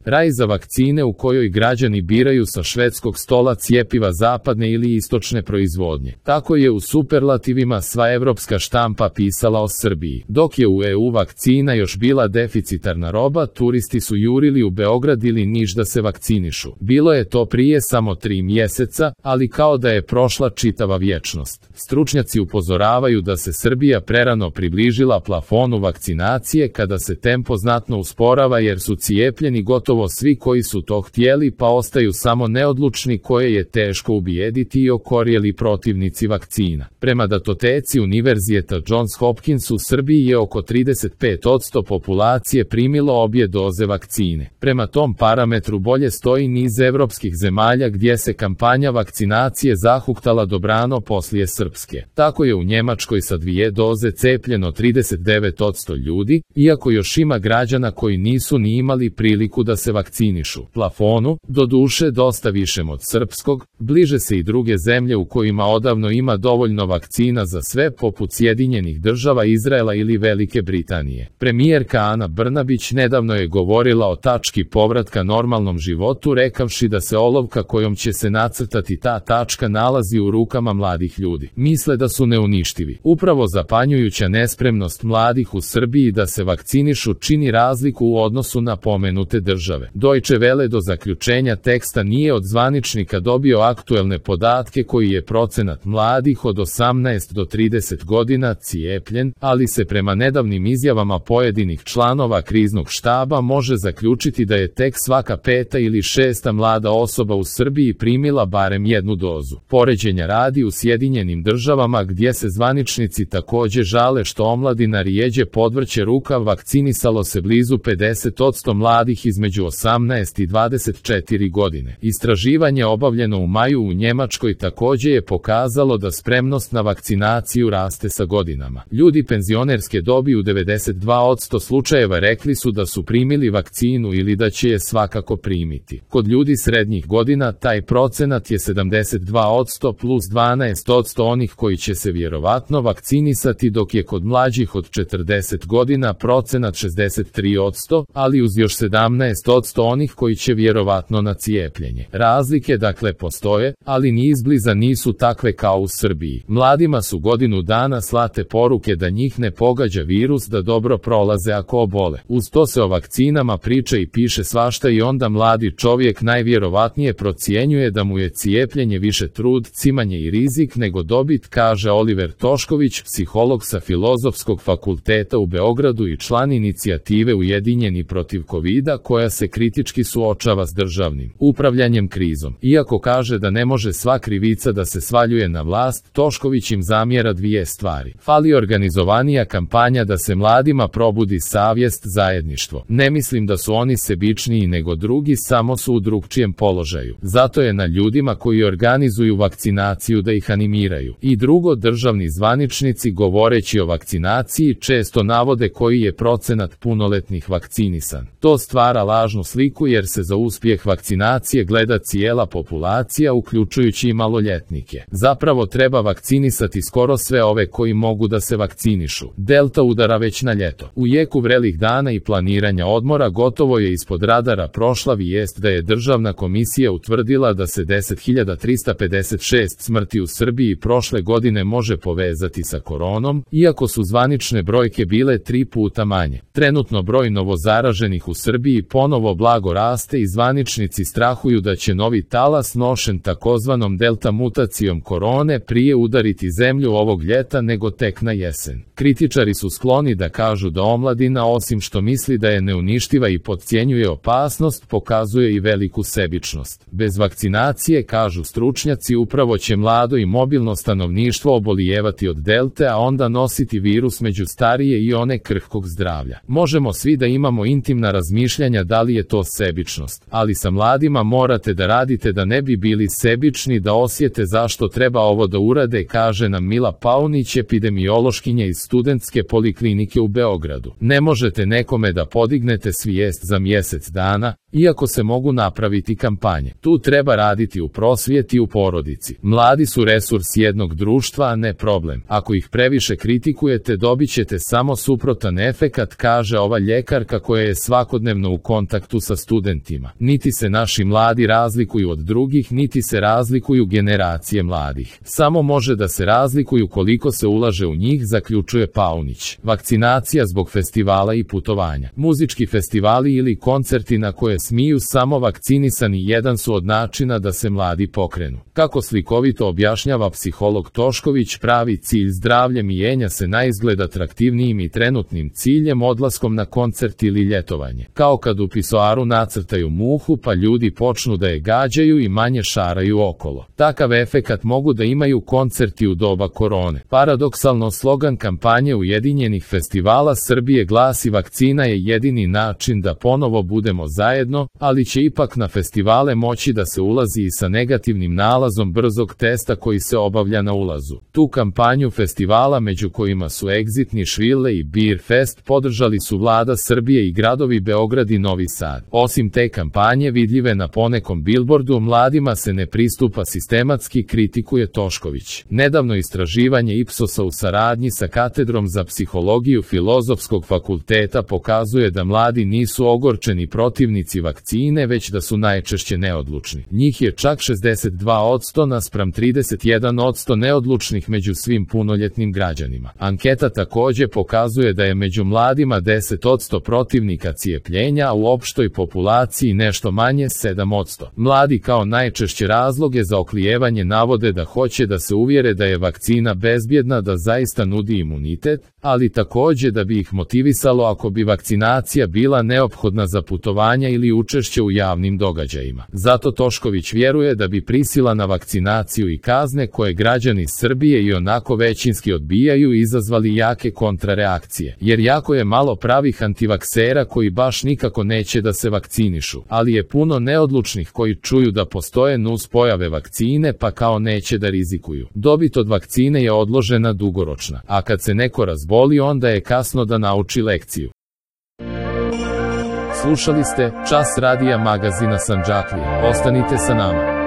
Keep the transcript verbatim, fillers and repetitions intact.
Raj za vakcine u kojoj građani biraju sa švedskog stola cjepiva zapadne ili istočne proizvodnje. Tako je u superlativima sva evropska štampa pisala o Srbiji. Dok je u E U vakcina još bila deficitarna roba, turisti su jurili u Beograd ili Niš da se vakcinišu. Bilo je to prije samo tri mjeseca, ali kao da je prošla čitava vječnost. Stručnjaci upozoravaju da se Srbija prerano približila plafonu vakcinacije kada se tempo znatno usporava jer su cijepljeni gotovo svi koji su to htjeli pa ostaju samo neodlučni koje je teško ubijediti i okorjeli protivnici vakcina. Prema datoteci Univerziteta Johns Hopkins u Srbiji je oko trideset pet posto populacije primilo obje doze vakcine. Prema tom parametru bolje stoji niz evropskih zemalja gdje se kampanja vakcinacije zahuktala dobrano poslije srpske. Tako je u Njemačkoj sa dvije doze cepljeno trideset devet posto ljudi, iako još ima građana koji nisu ni imali priliku da se vakcinišu. Plafonu, doduše dosta višem od srpskog, bliže se i druge zemlje u kojima odavno ima dovoljno vakcina za sve poput Sjedinjenih država, Izraela ili Velike Britanije. Premijerka Ana Brnabić nedavno je govorila o tački povratka normalnom životu rekavši da se olovka kojom će se nacrtati ta tačka nalazi u rukama mladih ljudi. Misle da su neuništivi. Upravo zapanjujuća nespremnost mladih u Srbiji da se vakcinišu čini razliku u odnosu na pomenute države. Deutsche Welle do zaključenja teksta nije od zvaničnika dobio aktuelne podatke koji je procenat mladih od osamnaest do trideset godina cijepljen, ali se prema nedavnim izjavama pojedinih članova kriznog štaba može zaključiti da je tek svaka peta ili šesta mlada osoba u Srbiji primila barem jednu dozu. Poređenja radi u Sjedinjenim državama gdje se zvaničnici također žale što omladina rijeđe podvrće rukav, vakcinisalo se blizu pedeset posto mladih između osamnaest i dvadeset četiri godine. Istraživanje obavljeno u maju u Njemačkoj također je pokazalo da spremnost na vakcinaciju raste sa godinama. Ljudi penzionerske dobi u devedeset dva posto slučajeva rekli su da su primili vakcinu ili da će je svakako primiti. Kod ljudi srednjih godina taj procenat je sedamdeset dva posto plus dvanaest posto onih koji će se vjerovatno vakcinisati, dok je kod mlađih od četrdeset godina procenat šezdeset tri posto, ali uz još sedamnaest posto onih koji će vjerovatno na cijepljenje. Razlike dakle postoje, ali ni izbliza nisu takve kao u Srbiji. Mladima su godinu dana slate poruke da njih ne pogađa virus, da dobro prolaze ako obole. Uz to se o vakcinama priča i piše svašta i onda mladi čovjek najvjerovatnije procjenjuje da mu je cijepljenje više trud, cimanje i rizik nego dobit, kaže Oliver Tošković, psiholog sa Filozofskog fakulteta u Beogradu i član inicijative Ujedinjeni protiv kovida koja se kritički suočava s državnim upravljanjem krizom. Iako kaže da ne može sva krivica da se svaljuje na vlast, Tošković im zamjera dvije stvari. Fali organizovanija kampanja da se mladima probudi savjest, zajedništvo. Ne mislim da su oni sebičniji nego drugi, samo su u drugčijem položaju. Zato je na ljudima koji organizuju vakcinaciju da ih animiraju. I drugo, državni zvaničnici govoreći o vakcinaciji često navode koji je procenat punoletnih vakcinisan. To stvara lažnu sliku jer se za uspjeh vakcinacije gleda cijela populacija uključujući i maloljetnike. Zapravo treba vakcinisati skoro sve ove koji mogu da se vakcinišu. Delta udara već na ljeto. U jeku vrelih dana i planiranja odmora gotovo je ispod radara prošla vijest da je Državna komisija utvrdila da se deset hiljada trista pedeset šest smrti u Srbiji prošle godine može povezati sa koronom, iako su zvanične brojke bile tri puta manje. Trenutno broj novozaraženih u Srbiji ponovo blago raste i zvaničnici strahuju da će novi talas nošen takozvanom delta mutacijom korone prije udariti zemlju ovog ljeta nego tek na jesen. Kritičari su skloni da kažu da omladina osim što misli da je neuništiva i podcjenjuje opasnost, pokazuje i veliku sebičnost. Bez vakcinacije, kažu stručnjaci, upravo će mlado i mobilno stanovništvo obolijevati od delte, a onda nositi virus među starije i one krhkog zdravlja. Možemo svi da imamo intimna razmišljanja da li je to sebičnost, ali sa mladima morate da radite da ne bi bili sebični, da osjete zašto treba ovo da urade, kaže nam Mila Paunić, epidemiološkinja iz Studentske poliklinike u Beogradu. Ne možete nekome da podignete svijest za mjesec dana, iako se mogu napraviti kampanje. Tu treba raditi u prosvjeti i u porodici. Mladi su resurs jednog društva, a ne problem. Ako ih previše kritikujete, dobit ćete samo suprotan efekat, kaže ova ljekarka koja je svakodnevno u kontaktu kontaktu sa studentima. Niti se naši mladi razlikuju od drugih, niti se razlikuju generacije mladih. Samo može da se razlikuju koliko se ulaže u njih, zaključuje Paunić. Vakcinacija zbog festivala i putovanja. Muzički festivali ili koncerti na koje smiju samo vakcinisani jedan su od načina da se mladi pokrenu. Kako slikovito objašnjava psiholog Tošković, pravi cilj zdravlje mijenja se naizgled atraktivnijim i trenutnim ciljem odlaskom na koncert ili ljetovanje. Kao kad u pisoaru nacrtaju muhu pa ljudi počnu da je gađaju i manje šaraju okolo. Takav efekat mogu da imaju koncerti u doba korone. Paradoksalno, slogan kampanje Ujedinjenih festivala Srbije glasi: vakcina je jedini način da ponovo budemo zajedno, ali će ipak na festivale moći da se ulazi i sa negativnim nalazom brzog testa koji se obavlja na ulazu. Tu kampanju festivala, među kojima su Exit, Nišvile i Beer Fest, podržali su vlada Srbije i gradovi Beograd i Novi Sad. Osim te kampanje vidljive na ponekom bilbordu, mladima se ne pristupa sistematski, kritikuje Tošković. Nedavno istraživanje Ipsosa u saradnji sa katedrom za psihologiju Filozofskog fakulteta pokazuje da mladi nisu ogorčeni protivnici vakcine, već da su najčešće neodlučni. Njih je čak šezdeset dva posto naspram trideset jedan posto neodlučnih među svim punoljetnim građanima. Anketa takođe pokazuje da je među mladima deset posto protivnika cijepljenja, a u opštoj populaciji nešto manje sedam posto. Mladi kao najčešće razloge za oklijevanje navode da hoće da se uvjere da je vakcina bezbjedna, da zaista nudi imunitet, ali takođe da bi ih motivisalo ako bi vakcinacija bila neophodna za putovanja ili učešće u javnim događajima. Zato Tošković vjeruje da bi prisila na vakcinaciju i kazne koje građani Srbije i onako većinski odbijaju izazvali jake kontrareakcije, jer jako je malo pravih antivaksera koji baš nikako neće da se vakcinišu, ali je puno neodlučnih koji čuju da postoje nuspojave vakcine pa kao neće da rizikuju. Dobit od vakcine je odložena dugoročna, a kad se neko razboli onda je kasno da nauči lekciju. Slušali ste Čas radija magazina Sandžaklija. Ostanite sa nama.